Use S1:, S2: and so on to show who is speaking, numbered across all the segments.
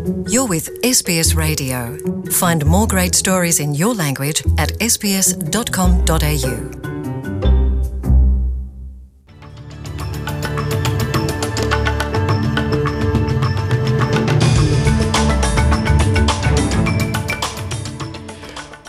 S1: You're with SBS Radio. Find more great stories in your language at sbs.com.au.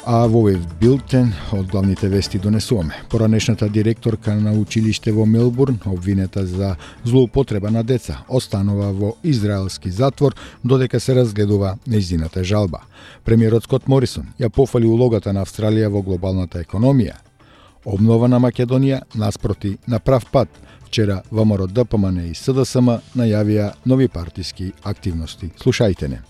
S2: А во овој билтен од главните вести донесуваме. Поранешната директорка на училиште во Мелбурн, обвинета за злоупотреба на деца, останува во израелски затвор додека се разгледува нејзината жалба. Премиерот Скот Морисон ја пофали улогата на Австралија во глобалната економија. Обнова на Македонија наспроти на прав пат. Вчера ВМРО ДПМН и СДСМ најавија нови партиски активности. Слушајте не.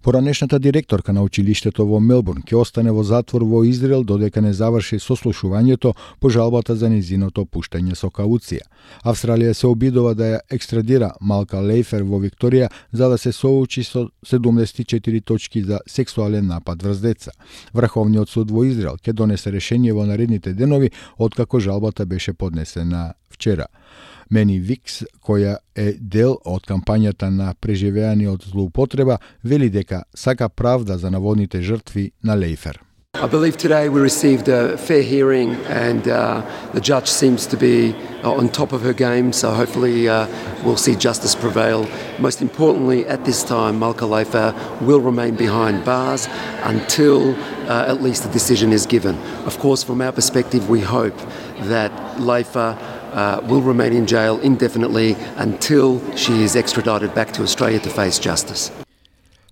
S2: Поранешната директорка на училиштето во Мелбурн ќе остане во затвор во Израел додека не заврши сослушувањето по жалбата за нејзиното пуштање со кауција. Австралија се обидува да ја екстрадира Малка Лейфер во Викторија за да се соочи со 74 точки за сексуален напад врз деца. Врховниот суд во Израел ќе донесе решение во наредните денови откако жалбата беше поднесена вчера. Мени Викс, која е дел од кампањата на преживеани од злоупотреба, вели дека сака правда за наводните жртви на Лейфер.
S3: I believe today we received a fair hearing and the judge seems to be on top of her game, so hopefully we'll see justice prevail. Most importantly, at this time, Malka Leifer will remain behind bars until at least a decision is given. Of course, from our perspective, we hope that Leifer will remain in jail indefinitely until she is extradited back to Australia to face justice.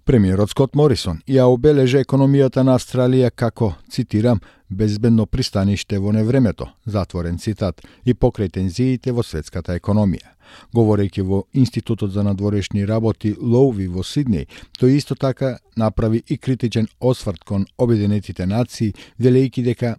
S2: Премиерот Скот Морисон ја обележа економијата на Австралија како, цитирам, безбедно пристаниште во невремето, затворен цитат, и покрај тензиите во светската економија. Говорејќи во Институтот за надворешни работи Лоуви во Сиднеј, тој исто така направи и критичен осврт кон Обединетите нации, велејќи дека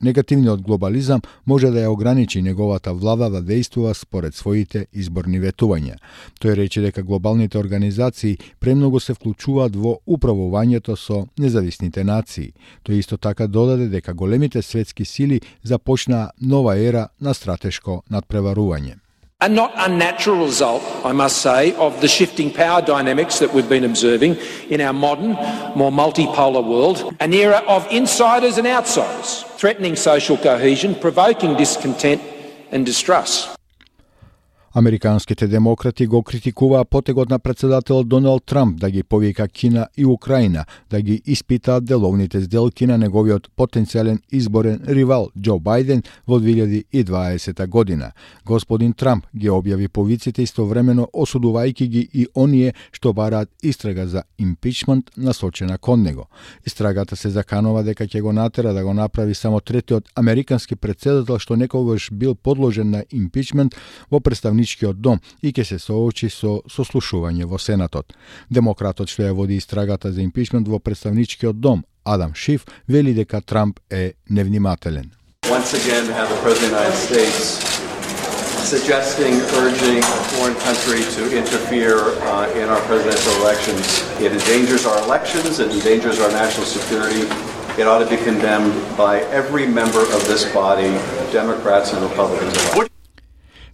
S2: негативниот глобализам може да ја ограничи неговата влада да действува според своите изборни ветувања. Тој рече дека глобалните организации премногу се вклучуваат во управувањето со независните нации. Тој исто така додаде дека големите светски сили започнаа нова ера на стратешко надпреварување.
S4: A not unnatural result, I must say, of the shifting power dynamics that we've been observing in our modern, more multipolar world, an era of insiders and outsiders, threatening social cohesion, provoking discontent and distrust.
S2: Американските демократи го критикуваа потегот на председателот Доналд Трамп да ги повика Кина и Украина да ги испитаат деловните сделки на неговиот потенцијален изборен ривал Џо Бајден во 2020 година. Господин Трамп ги објави повиците истовремено осудувајќи ги и оние што бараат истрага за импичмент насочена кон него. Истрагата се заканува дека ќе го натера да го направи само третиот американски председател што некогаш бил подложен на импичмент во представничкиот дом и ќе се соочи со сослушување во Сенатот. Демократот што ја води истрагата за импичмент во представничкиот дом, Адам Шиф, вели дека Трамп е невнимателен.
S5: Once again have the President of the United States suggesting, urging a foreign country to interfere in our presidential elections. It endangers our elections, it endangers our national security. It ought to be condemned by every member of this body, Democrats and Republicans alike.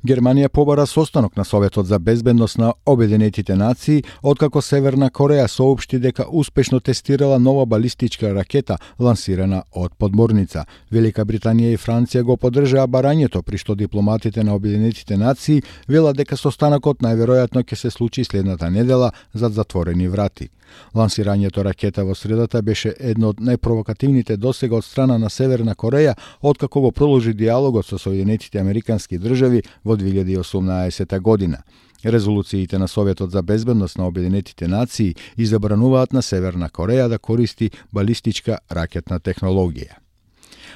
S2: Германија побара состанок на Советот за безбедност на Обединетите нации, откако Северна Кореја соопшти дека успешно тестирала нова балистичка ракета лансирана од подморница. Велика Британија и Франција го поддржаа барањето, при што дипломатите на Обединетите нации велат дека состанокот најверојатно ќе се случи следната недела зад затворени врати. Лансирањето ракета во средата беше едно од најпровокативните досега од страна на Северна Кореја, откако го продолжи диалогот со Соединетите американски држави во 2018 година. Резолуциите на Советот за безбедност на Обединетите нации и забрануваат на Северна Кореја да користи балистичка ракетна технологија.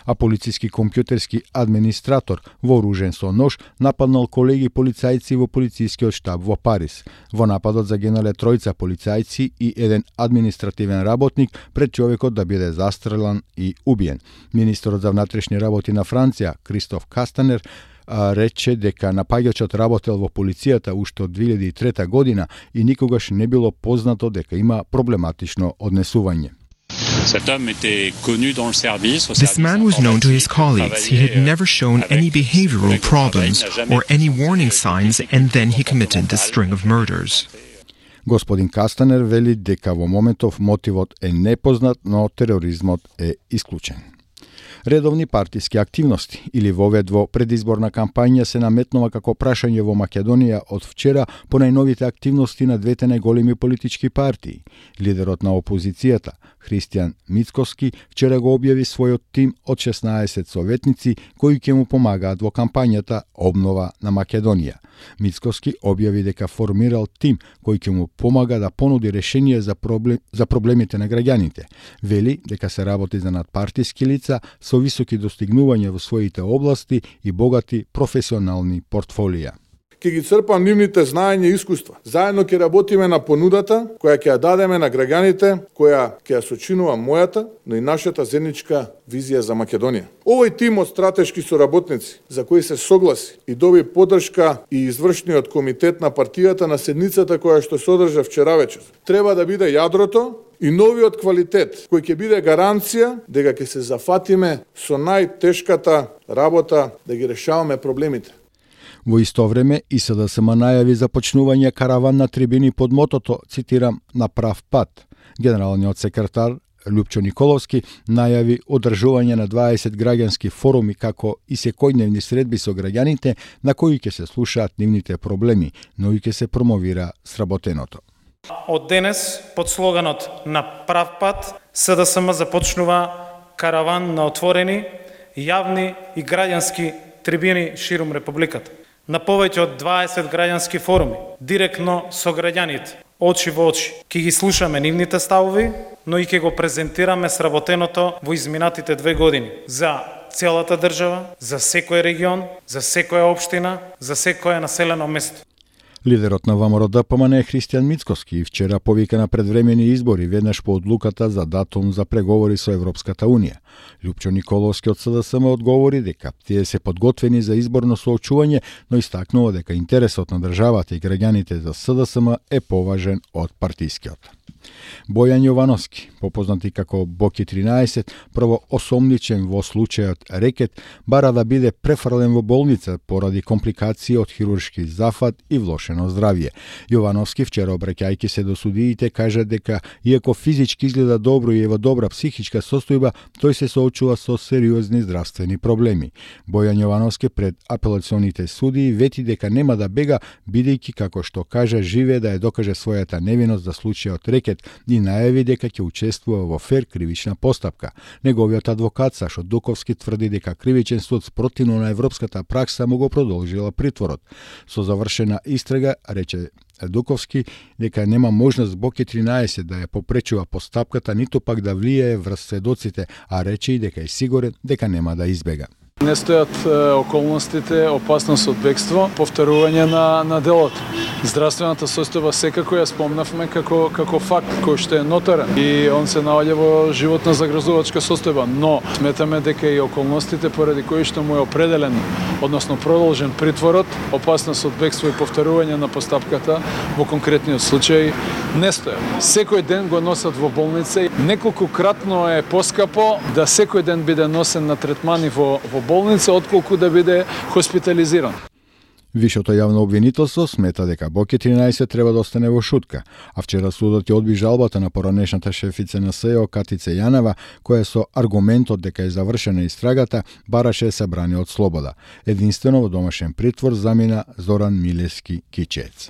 S2: А полициски компјутерски администратор вооружен со нож нападнал колеги полицајци во полицискиот штаб во Париз. Во нападот загинале тројца полицајци и еден административен работник пред човекот да биде застрелан и убиен. Министерот за внатрешни работи на Франција, Кристоф Кастанер, рече дека напаѓачот работел во полицијата уште од 2003 година и никогаш не било познато дека има проблематично однесување.
S6: This man was known to his colleagues. He had never shown any behavioral problems or any warning signs, and then he committed this string of murders.
S2: Господин Кастанер вели дека во моментов мотивот е непознат, но тероризмот е исклучен. Редовни партиски активности или вовед во предизборна кампања се наметнува како прашање во Македонија од вчера по најновите активности на двете најголеми политички партии. Лидерот на опозицијата, Христијан Мицкоски, вчера го објави својот тим од 16 советници кои ќе му помагаат во кампањата Обнова на Македонија. Мицкоски објави дека формирал тим кој ќе му помага да понуди решение за проблемите на граѓаните. Вели дека се работи за надпартиски лица со високи достигнувања во своите области и богати професионални портфолија.
S7: Ќе ги црпам нивните знаења и искуства. Заедно ќе работиме на понудата која ќе ја дадеме на граѓаните, која ќе ја сочинува мојата, но и нашата заедничка визија за Македонија. Овој тим од стратешки соработници, за кои се согласи и доби поддршка и извршниот комитет на партијата на седницата која што се одржа вчера вечер, треба да биде јадрото и новиот квалитет кој ќе биде гаранција дека ќе се зафатиме со најтешката работа да ги решаваме проблемите.
S2: Во исто време, ИСДСМ најави започнување караван на трибини под мотото, цитирам, на прав пат. Генералниот секретар Лјупчо Николовски најави одржување на 20 граѓански форуми како и секојдневни средби со граѓаните на кои ќе се слушаат нивните проблеми, но и ќе се промовира сработеното.
S8: Од денес, под слоганот на прав пат, СДСМ започнува караван на отворени, јавни и граѓански трибини ширум Републиката. На повеќе од 20 граѓански форуми, директно со граѓаните, очи во очи. Ќе ги слушаме нивните ставови, но и ќе го презентираме сработеното во изминатите 2 години за целата држава, за секој регион, за секоја општина, за секое населено место.
S2: Лидерот на ВМРО-ДПМН е Христијан Мицкоски и вчера повика на предвремени избори веднаш по одлуката за датум за преговори со Европската Унија. Лјупчо Николовски од СДСМ одговори дека тие се подготвени за изборно соочување, но истакнува дека интересот на државата и граѓаните за СДСМ е поважен од партискиот. Бојан Јовановски, попознати како Боки 13, прво осомничен во случајот рекет, бара да биде префрлен во болница поради компликации од хируршки зафат и влошено здравје. Јовановски вчера обраќајќи се до судиите кажа дека иако физички изгледа добро и е во добра психичка состојба, тој се соочува со сериозни здравствени проблеми. Бојан Јовановски пред апелационите судии вети дека нема да бега, бидејќи како што кажа живее да ја докаже својата невиност за случајот рекет и најави дека ќе учествува во фер кривична постапка. Неговиот адвокат Сашо Дуковски тврди дека кривичен суд спротивно на европската пракса му го продолжила притворот. Со завршена истрага, рече Дуковски, дека нема можност Боки 13 да ја попречува постапката, ниту пак да влијае врз сведоците, а рече и дека е сигурен дека нема да избега.
S9: Не стојат околностите, опасност од бегство, повторување на делото. Здравствената состојба секако ја спомнавме како факт кој што е нотарен и он се наоѓа во животна загрозувачка состојба, но сметаме дека и околностите поради кои што му е определен, односно продолжен притворот, опасност од бегство и повторување на постапката во конкретниот случај не стојат. Секој ден го носат во болница и неколкократно е поскапо да секој ден биде носен на третмани во болница, отколку да биде хоспитализиран.
S2: Вишото јавно обвинителство смета дека Боки 13 треба да остане во шутка, а вчера судот ја одби жалбата на поранешната шефица на СЕО Катица Јанева, која со аргументот дека е завршена истрагата, бараше се брани од слобода. Единствено во домашен притвор замина Зоран Милевски Кичец.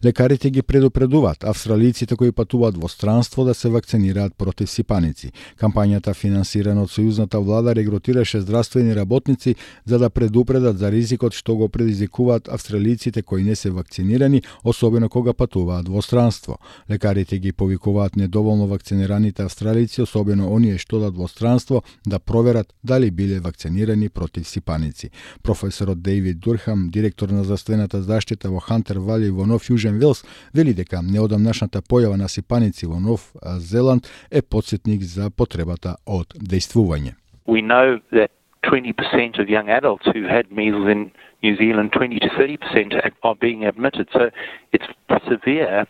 S2: Лекарите ги предупредуваат австралиците кои патуваат во странство да се вакцинираат против сипаници. Кампањата финансирана од сојузната влада регрутираше здравствени работници за да предупредат за ризикот што го предизвикуваат австралиците кои не се вакцинирани, особено кога патуваат во странство. Лекарите ги повикуваат недоволно вакцинираните австралици, особено оние што одат во странство, да проверат дали биле вакцинирани против сипаници. Професорот Дејвид Дурхам, директор на здравствената заштита во Хантер Вали во Нов Јужен Велс, вели дека неодамнашната појава на сипаници во Нов Зеланд е потсетник за потребата од дејствување.
S10: We know that 20% of young adults who had measles in New Zealand, 20 to 30% are being admitted. So it's severe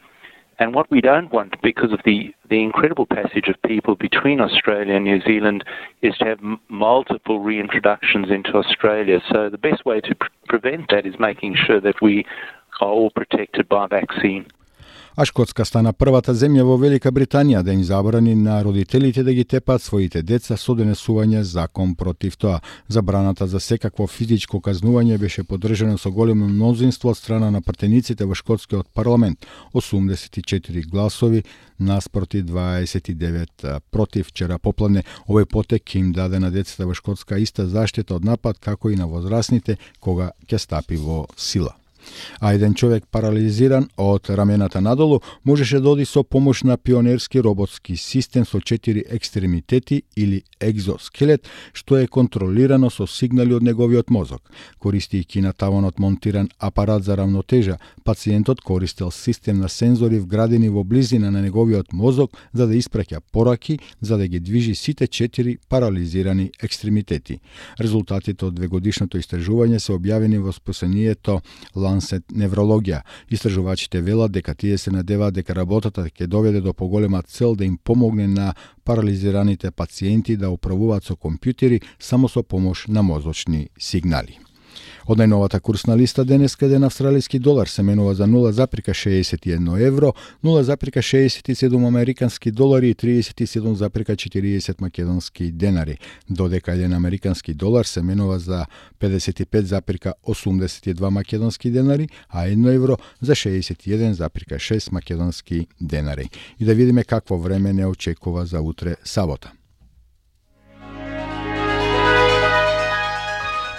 S10: And what we don't want, because of the incredible passage of people between Australia and New Zealand, is to have multiple reintroductions into Australia. So the best way to prevent that is making sure that we are all protected by vaccine.
S2: А Шкотска стана првата земја во Велика Британија да им забрани на родителите да ги тепаат своите деца со донесување закон против тоа. Забраната за секакво физичко казнување беше поддржана со големо мнозинство од страна на пратениците во шкотскиот парламент, 84 гласови наспроти 29 против. Вчера попладне овој потек им даде на децата во Шкотска иста заштита од напад како и на возрастните кога ќе стапи во сила. А еден човек парализиран од рамената надолу можеше да оди со помош на пионерски роботски систем со 4 екстремитети или екзоскелет, што е контролирано со сигнали од неговиот мозок. Користејќи на таванот монтиран апарат за равнотежа, пациентот користел систем на сензори вградени во близина на неговиот мозок за да испраќа пораки, за да ги движи сите 4 парализирани екстремитети. Резултатите од двегодишното истражување се објавени во списанието Lancet Неврологија. Истражувачите велат дека тие се надеваат дека работата ќе доведе до поголема цел да им помогне на парализираните пациенти да управуваат со компјутери само со помош на мозочни сигнали. Од најновата курсна листа денеска еден австралиски долар се менува за 0,61 евро, 0,67 американски долари и 37,40 македонски денари, додека еден американски долар се менува за 55,82 македонски денари, а 1 евро за 61,6 македонски денари. И да видиме какво време не очекува за утре сабота.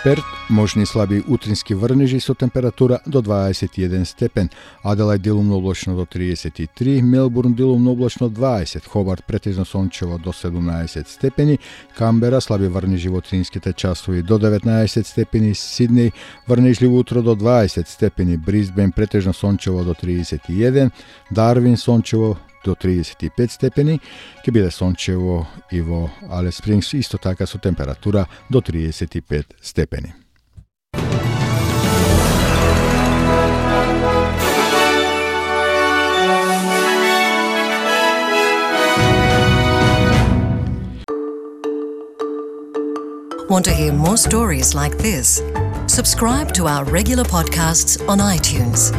S2: Перт, можни слаби утрински врнежи со температура до 21 степен, Аделајд делумно облачно до 33, Мелбурн делумно облачно 20, Хобарт претежно сончево до 17 степени, Камбера слаби врнежи во утринските часови до 19 степени, Сиднеј врнежливо утро до 20 степени, Брисбен претежно сончево до 31, Дарвин сончево до 35 степени, ќе биде сончево и во Алис Спрингс исто така со температура до 35 степени.
S1: Want to hear more stories like this? Subscribe to our regular podcasts on iTunes.